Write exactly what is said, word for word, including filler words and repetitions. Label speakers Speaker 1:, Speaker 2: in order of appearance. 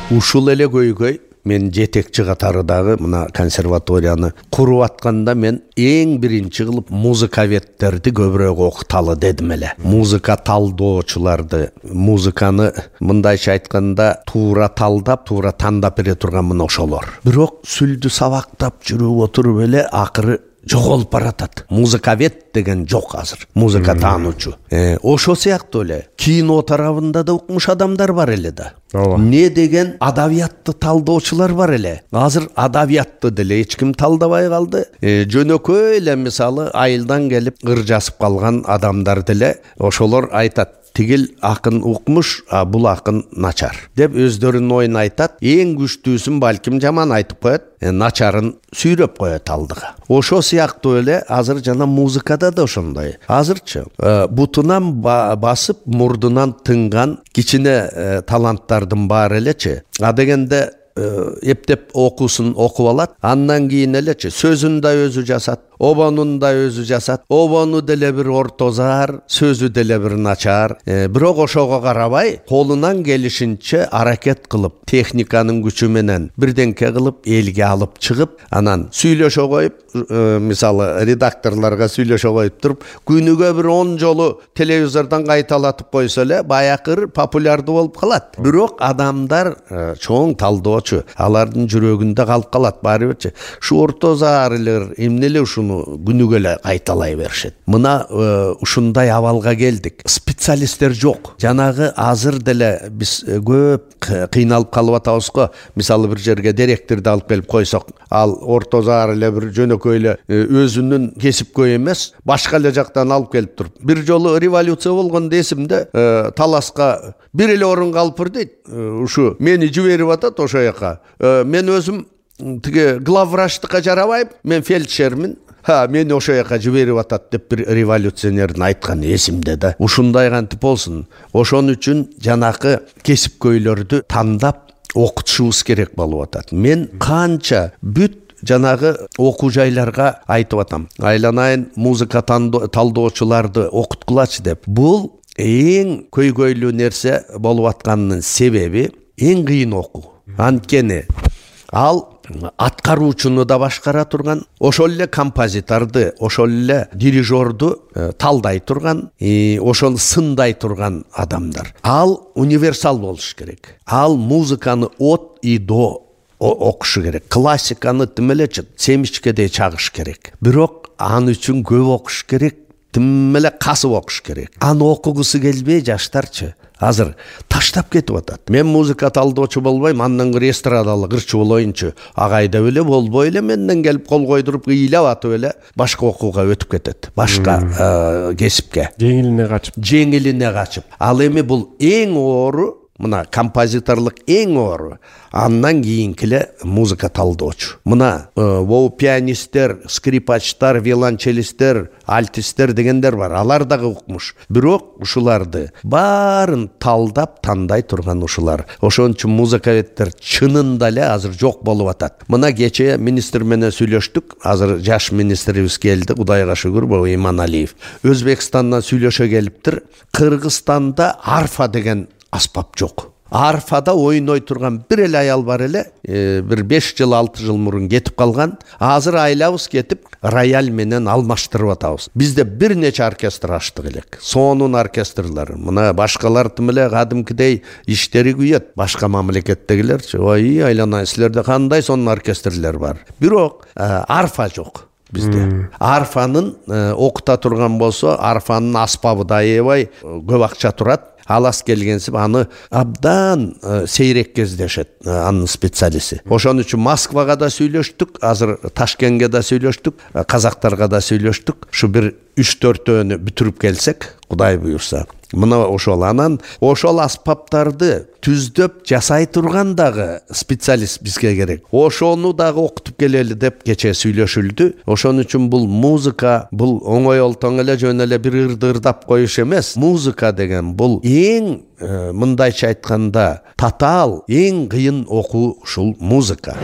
Speaker 1: Ушул эле көйгөй мен жетекчи катарыдагы мына консерваторияны куруп атканда мен эң биринчи кылып музыковедтерди көбүрөөк окуталы дедим эле. Музыка талдоочуларды, музыканы мындайча айтканда туура талдап, туура тандап бере турган мына ошолор. Бирок сүлдү сабактап жүрүп отуруп эле акыры жоголуп баратат. Музыковед деген жок азыр. Музыка таануучу. Э, ошо сыяктуу эле кино тарабында да укмуш адамдар бар эле да. Не деген адабиятты талдоочулар бар эле. Азыр адабиятты деле эч ким талдабай калды. Э, жөнөкөй эле мисалы айылдан келип ыр жазып калган адамдар деле ошолор айтат. Тигил акын укмуш, а бул акын начар деп өздөрүнүн оюн айтат. Эң күчтүүсүн балким жаман айтып коет, э, начарын сүйрөп коет алдыга. Ошо сыяктуу эле азыр жана музыкада да ошондой. Азырчы э, бутунан ба басып, мурдунан тынган кичине э, таланттардын баары элечи. А дегенде эптеп окуусун окуп алат, андан кийин элечи сөзүн да өзү жасат, обонун да өзү жасат. Обону деле бир ортозар, сөзү деле бир начар. Э, бирок ошого карабай, колунан келишинче аракет кылып, техниканын күчү менен бирденке кылып элге алып чыгып, анан сүйлөшө коюп, э, мисалы редакторлорго сүйлөшө коюп туруп, күнүгө бир он жолу телевизордон кайталатып койсо эле баякыр популярдуу болуп калат. Бирок адамдар э, чоң талдоочу, алардын жүрөгүндө калып калат баары бирчи. Ушу ортозар эле эмне эле ушуну күнүгө эле кайталай беришет. Мына э, ушундай абалга келдик. Специалисттер жок. Жанагы азыр деле биз көп кыйналып калып атабыз го. Мисалы бир жерге директорду алып келип койсок, ал ортозар эле бир жөнөкөй эле өзүнүн кесипкөй эмес, башка эле жактан алып келип туруп. Бир жолу революция болгондо эсимде, э, таласка бир эле орун калыптыр дейт. Э, ушу мени жиберип атат ошо жака. Э, мен өзүм тиги главврачтыкка жарабайм, мен фельдшермин. Ха, мени ошо жака жиберип атат деп бир революционердин айткан эсимде да. Ушундай кантип болсун. Ошон үчүн жанакы кесипкөйлөрдү тандап окутушубуз керек болуп атат. Мен канча бүт жанагы окуу жайларга айтып атам. Айланайын музыка талдоочуларды окуткулачы деп. Бул эң көйгөйлүү нерсе болуп атканынын себеби эң кыйын окуу. Анткени ал аткаруучуну да башкара турган, ошол эле композиторду, ошол эле дирижерду э, талдай турган, э, ошол сындай турган адамдар. Ал универсал болуш керек. Ал музыканы от и до окушу керек. Классиканы тим эле семичкедей чагыш керек. Бирок аны үчүн көп окуш керек, тим эле касып окуш керек. Аны окугусу келбей жаштарчы азыр таштап кетип атат. Мен музыка талдоочу болбойм, андан кыра эстрадалык ырчы болоюнчу. Агайда эле болбой эле менден келип кол койдуруп ыйлап атып эле башка окууга өтүп кетет. Башка э, кесипке.
Speaker 2: Жеңилине качып.
Speaker 1: Жеңилине качып. Ал эми бул эң оору, мына композиторлук эң оору. Андан кийинкиле музыка талдоочу. Мына бул пианисттер, скрипачтар, виолончелисттер, альтисттер дегендер бар. Алар дагы укмуш. Бирок ушуларды баарын талдап тандай турган ушулар. Ошон үчүн музыковедтер чынында эле азыр жок болуп атат. Мына кече министр менен сүйлөштүк. Азыр жаш министрибиз келди, Кудайга шүгүр, бул Иманалиев. Өзбекстандан сүйлөшө келиптир. Кыргызстанда арфа деген аспап жок. Арфада ойной турган бир эле аял бар эле, э, бир беш жыл алты жыл мурун кетип калган. Азыр айлабыз кетип рояль менен алмаштырып атабыз. Бизде бир нече оркестр ачтык элек. Сонун оркестрлар. Мына башкалар тим эле кадимкидей иштери күйөт. Башка мамлекеттегилерчи, ой, айланай, силерде кандай сонун оркестрлер бар. Бирок э, арфа жок бизде. Арфанын э, окута турган болсо, арфанын аспабы да аябай көп акча турат. Алас келгенсип аны абдан э, сейрек кездешет э, анын специалисти. Ошон үчүн Москвага да сүйлөштүк, азыр Ташкентке да сүйлөштүк, э, казактарга да сүйлөштүк. Ушу бир үч төртөөнү бүтүрүп келсек, Кудай буюрса. Мына ошол анан ошол аспаптарды түздөп жасай турган дагы специалист бизге керек. Ошону дагы окутуп келели деп кече сүйлөшүлдү. Ошон үчүн бул музыка, бул оңой олтоң эле жөн эле бир ырды ырдап коюш эмес. Музыка деген бул эң э, мындайча айтканда татаал эң кыйын окуу ушул музыка.